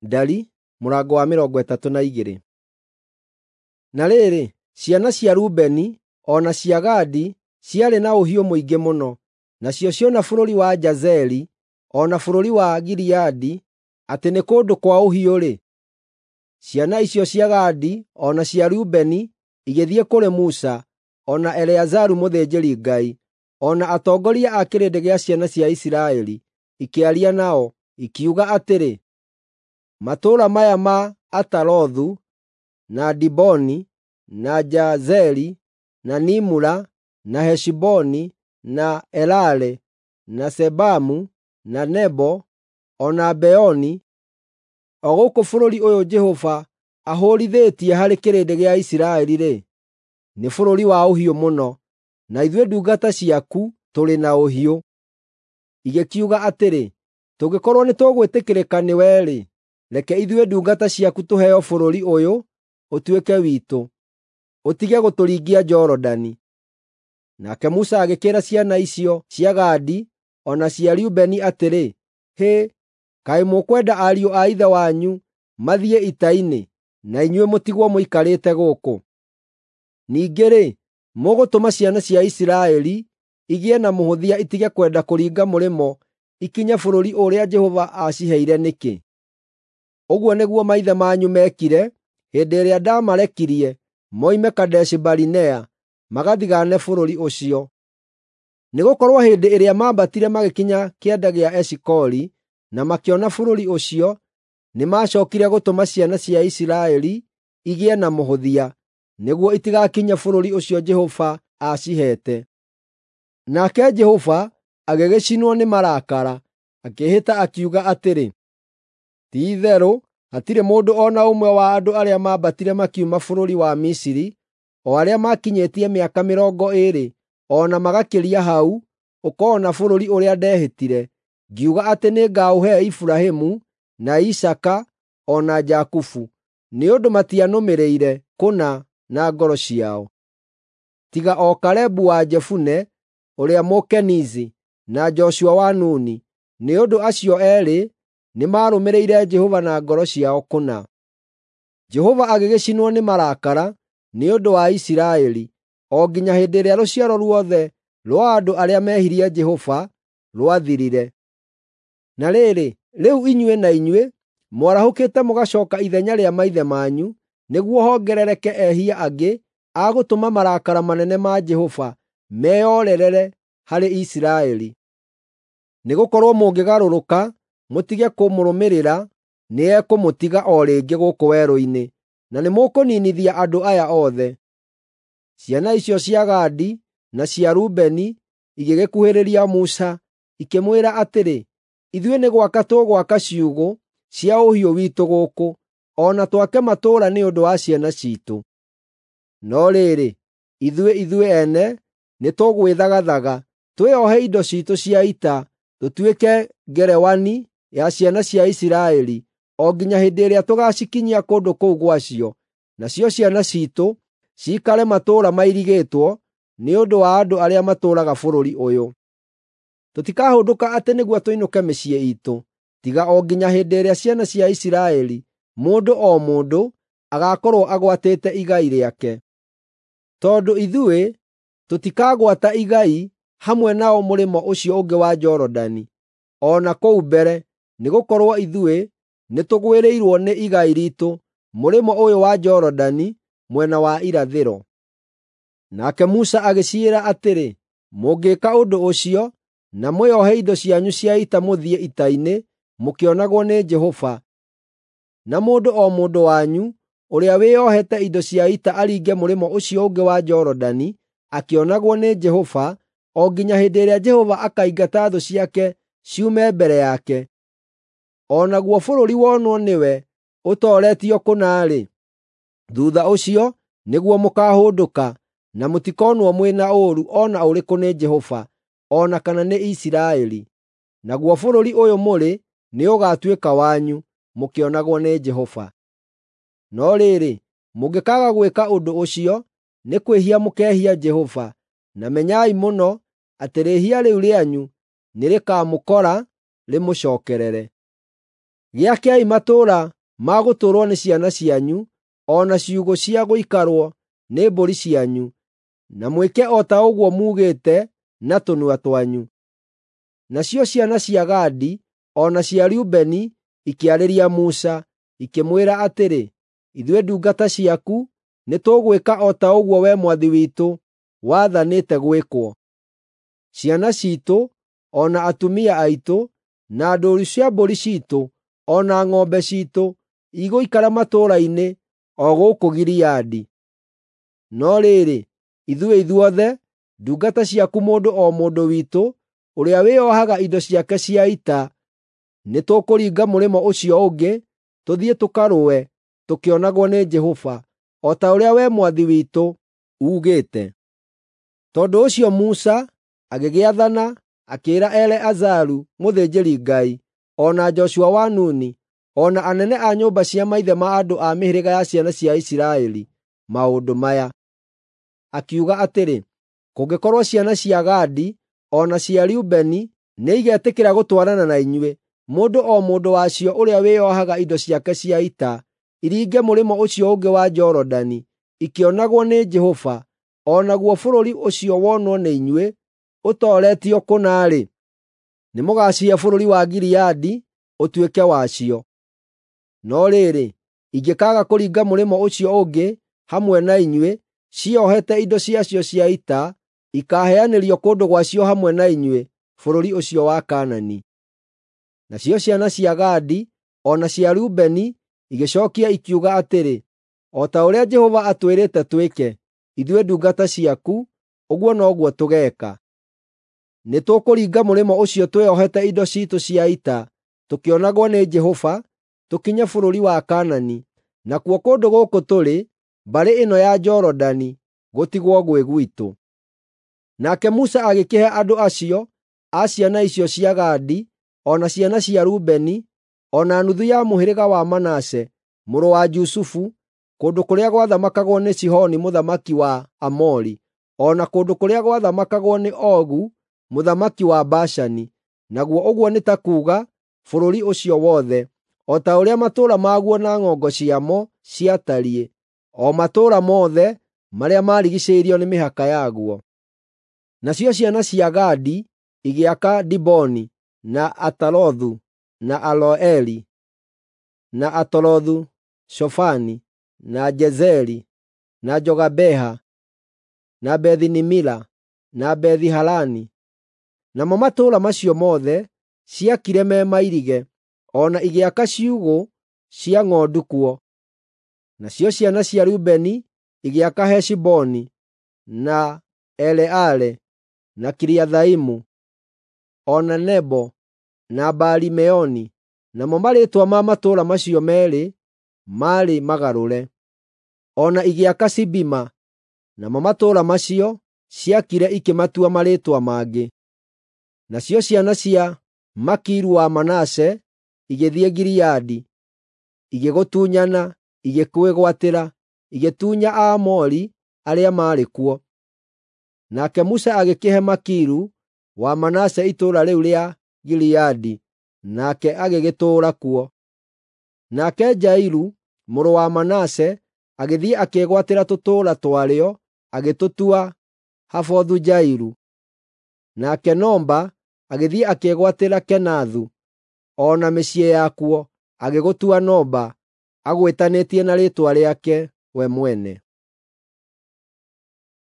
Ndari mũrango wa 32. Na rĩrĩ, ciana cia Rubeni o na cia Gadi ciarĩ na ũhiũ mũingĩ mũno, nacio ciona bũrũri wa Jazeri o na bũrũri wa Gileadi atĩ nĩ kũndũ kwa ũhiũ-rĩ, ciana icio cia Gadi o na cia Rubeni igĩthiĩ kũrĩ Musa, o na Eleazaru mũthĩnjĩri-Ngai, o na atongoria a kĩrĩndĩ gĩa ciana cia Isiraeli, ikĩaria nao, ikiuga atĩrĩ, “Matũũra maya ma Atarothu, na Diboni, na Jazeri, na Nimura, na Heshiboni, na Elale, na Sebamu, na Nebo, o na Beoni, o gũkũ bũrũri ũyũ Jehova ahũũrithĩtie harĩ kĩrĩndĩ gĩa Isiraeli-rĩ, nĩ bũrũri wa ũhiũ mũno, na ithuĩ ndungata ciaku tũrĩ na ũhiũ.” Igĩkiuga atĩrĩ, “Tũngĩkorwo nĩtũgwĩtĩkĩrĩka nĩwe-rĩ, reke ithuĩ ndungata ciaku tũheo bũrũri ũyũ ũtuĩke witũ, ũtige gũtũringia Jorodani.” Nake Musa agĩkĩĩra ciana icio cia Gadi o na cia Rubeni atĩrĩ, “Hĩ, kaĩ mũkwenda ariũ a ithe wanyu mathiĩ ita-inĩ, na inyuĩ mũtigwo mũikarĩte gũkũ? Ningĩ-rĩ, mũgũtũma ciana cia Isiraeli igĩe na mũhũthia itige kwenda kũringa mũrĩmo ikinye bũrũri ũrĩa Jehova aaciheire nĩkĩ? Ũguo nĩguo maithe manyu meekire hĩndĩ ĩrĩa ndaamarekirie moime Kadeshi-Barinea magathigaane bũrũri ũcio. Nĩgũkorwo hĩndĩ ĩrĩa maambatire magĩkinya kĩanda gĩa Eshikoli na makĩona bũrũri ũcio, nĩmacookire gũtũma ciana cia Isiraeli igĩe na mũhũthia, nĩguo itigakinye bũrũri ũcio Jehova aaciheete. Nake Jehova agĩgĩcinwo nĩ marakara, akĩĩhĩta akiuga atĩrĩ, “Ti-itherũ hatirĩ mũndũ o na ũmwe wa andũ arĩa maambatire makiuma bũrũri wa Misiri, o arĩa maakinyĩtie mĩaka 20 o na magakĩria hau, ũkoona bũrũri ũrĩa ndehĩtire, ngiuga atĩ nĩngaũhe Iburahĩmu, na Isaaka, o na Jakubu, nĩ ũndũ matianũmĩrĩire kũna na ngoro ciao. Tiga o Kalebu wa Jefune ũrĩa Mũkenizi na Joshua wa Nuni, nĩ ũndũ acio eerĩ nĩmarũmĩrĩire Jehova na ngoro ciao kũna.” Jehova agĩgĩcinwo nĩ marakara nĩ ũndũ wa Isiraeli, o nginya hĩndĩ ĩrĩa rũciaro ruothe rwa andũ arĩa mehirie Jehova rwathirire. Na rĩrĩ, rĩu inyuĩ na inyuĩ mwarahũkĩte mũgacooka ithenya rĩa maithe manyu, nĩguo hongerereke ehia angĩ a gũtũma marakara manene ma Jehova meyorerere harĩ Isiraeli. Nĩgũkorwo mũngĩgarũrũka mũtige kũmũrũmĩrĩra, nĩekũmũtiga o rĩngĩ gũkũ werũ-inĩ, na nĩmũkũniinithia andũ aya othe.” Ciana icio cia Gadi na cia Rubeni igĩgĩkuhĩrĩria Musa, ikĩmwĩra atĩrĩ, “Ithuĩ nĩ gwaka tũgwaka ciugũ cia ũhiũ witũ gũkũ, o na twake matũũra nĩ ũndũ wa ciana ciitũ. No rĩrĩ, ithuĩ ithuĩ ene nĩtũgwĩthagathaga, twĩohe indo ciitũ cia ita, tũtuĩke ngerewani ya ciana cia Isiraeli o nginya hĩndĩ ĩrĩa tũgaacikinyia kũndũ kũu gwacio, nacio ciana ciitũ ciikare matũũra mairigĩtwo nĩ ũndũ wa andũ arĩa matũũraga bũrũri ũyũ. Tũtikahũndũka atĩ nĩguo tũinũke mĩciĩ iitũ, tiga o nginya hĩndĩ ĩrĩa ciana cia Isiraeli, mũndũ o mũndũ, agaakorwo agwatĩte igai rĩake. Tondũ ithuĩ tũtikagwata igai hamwe nao mũrĩmo ũcio ũngĩ wa Jorodani, o na kũu mbere, nĩgũkorwo ithuĩ nĩtũgwĩrĩirwo nĩ igai riitũ mũrĩmo ũyũ wa Jorodani mwena wa irathĩro.” Nake Musa agĩciĩra atĩrĩ, “Mũngĩka ũndũ ũcio, na mwĩohe indo cianyu cia ita mũthiĩ ita-inĩ mũkĩonagwo nĩ Jehova, na mũndũ o mũndũ wanyu ũrĩa wĩohete indo cia ita aringe mũrĩmo ũcio ũngĩ wa Jorodani akĩonagwo nĩ Jehova, o nginya hĩndĩ ĩrĩa Jehova akaingata thũ ciake ciume mbere yake, o naguo bũrũri wonwo nĩwe ũtooretio kũna-rĩ, thuutha ũcio nĩguo mũkaahũndũka na mũtikonwo mwĩ na ũũru o na ũrĩkũ nĩ Jehova o na kana nĩ Isiraeli. Naguo bũrũri ũyũ mũrĩ nĩũgatuĩka wanyu, mũkĩonagwo nĩ Jehova. No rĩrĩ, mũngĩkaaga gwĩka ũndũ ũcio, nĩ kwĩhia mũkehia Jehova, na menyai mũno atĩ rĩĩhia rĩu rĩanyu nĩrĩkamũkora rĩmũcookerere. Gĩakei matũũra ma gũtũũrwo nĩ ciana cianyu, o na ciugũ cia gũikarwo nĩ mbũri cianyu, na mwĩke o ta ũguo muugĩte na tũnua twanyu." Nacio ciana cia Gadi o na cia Rubeni ikĩarĩria Musa, ikĩmwĩra atĩrĩ, “Ithuĩ ndungata ciaku nĩtũgwĩka o ta ũguo wee mwathi witũ wathanĩte gwĩkwo. Ciana ciitũ, o na atumia aitũ, na ndũũru cia mbũri ciitũ, o na ng'ombe ciitũ igũikara matũũra-inĩ o gũkũ Gileadi. No rĩrĩ, ithuĩ ithuothe, ndungata ciaku mũndũ o mũndũ witũ ũrĩa wĩohaga indo ciake cia ita, nĩtũkũringa mũrĩmo ũcio ũngĩ tũthiĩ tũkarũe tũkĩonagwo nĩ Jehova, o ta ũrĩa wee mwathi witũ uugĩte." Tondũ ũcio Musa agĩgĩathana akĩĩra Eleazaru mũthĩnjĩri-Ngai, o na Joshua wa Nuni, o na anene a nyũmba cia maithe ma andũ a mĩhĩrĩga ya ciana cia Isiraeli maũndũ maya. Akiuga atĩrĩ, “Kũngĩkorwo ciana cia Gadi o na cia Rubeni nĩigetĩkĩra gũtwarana na inyuĩ, mũndũ o mũndũ wacio ũrĩa wĩohaga indo ciake cia ita, iringe mũrĩmo ũcio ũngĩ wa Jorodani, ikĩonagwo nĩ Jehova, o naguo bũrũri ũcio wonwo nĩ inyuĩ ũtooretio kũna-rĩ, nĩmũgacihe bũrũri wa Gileadi ũtuĩke wacio. No rĩrĩ, ingĩkaaga kũringa mũrĩmo ũcio ũngĩ hamwe na inyuĩ, ciohete indo ciacio cia ita, ikaaheanĩrio kũndũ gwacio hamwe na inyuĩ bũrũri ũcio wa Kaanani." Nacio ciana cia Gadi o na cia Rubeni igĩcookia ikiuga atĩrĩ, “O ta ũrĩa Jehova atwĩrĩte twĩke, ithuĩ ndungata ciaku, ũguo noguo tũgeeka. Nĩtũkũringa mũrĩmo ũcio twĩohete indo ciitũ cia ita, tũkĩonagwo nĩ Jehova, tũkinye bũrũri wa Kaanani, nakuo kũndũ gũkũ tũrĩ, mbarĩ ĩno ya Jorodani, gũtigwo gwĩ gwitũ." Nake Musa agĩkĩhe andũ acio a ciana icio cia Gadi, o na ciana cia Rubeni, o na nuthu ya mũhĩrĩga wa Manase mũrũ wa Jusufu, kũndũ kũrĩa gwathamakagwo nĩ Sihoni mũthamaki wa Aamori, o na kũndũ kũrĩa gwathamakagwo nĩ Ogu mũthamaki wa Bashani, naguo ũguo nĩ ta kuuga bũrũri ũcio wothe, o ta ũrĩa matũũra maguo na ng'ongo ciamo ciatariĩ, o matũũra mothe marĩa maarigiicĩirio nĩ mĩhaka yaguo. Nacio ciana cia Gadi igĩaka Diboni, na Atarothu, na Aroeri, na Atarothu-Shofani, na Jezeri, na Jogabeha, na Bethi-Nimira, na Bethi-Harani. Namo matũũra macio mothe ciakire me mairige, o na igĩaka ciugũ cia ng'ondu kuo. Nacio ciana cia Rubeni igĩaka Heshiboni, na Eleale, na Kiriathaimu, o na Nebo, na Baali-Meoni. Namo marĩĩtwa ma matũũra macio meerĩ maarĩ magarũre. O na igĩaka Sibima, namo matũũra macio ciakire ikĩmatua marĩĩtwa mangĩ. Nacio ciana cia Makiru wa Manase igĩthiĩ Gileadi, igĩgũtunyana, igĩkwĩgwatĩra, igĩtunya Aamori arĩa maarĩ kuo. Nake Musa agĩkĩhe Makiru wa Manase itũũra rĩu rĩa Gileadi, nake agĩgĩtũũra kuo. Nake Jairu mũrũ wa Manase agĩthiĩ akĩĩgwatĩra tũtũũra twarĩo, agĩtũtua Havothu-Jairu. Nake Noba agĩthiĩ akĩĩgwatĩra Kenathu o na mĩciĩ yakuo, agĩgũtua Noba, agwĩtanĩtie na rĩĩtwa rĩake we mwene.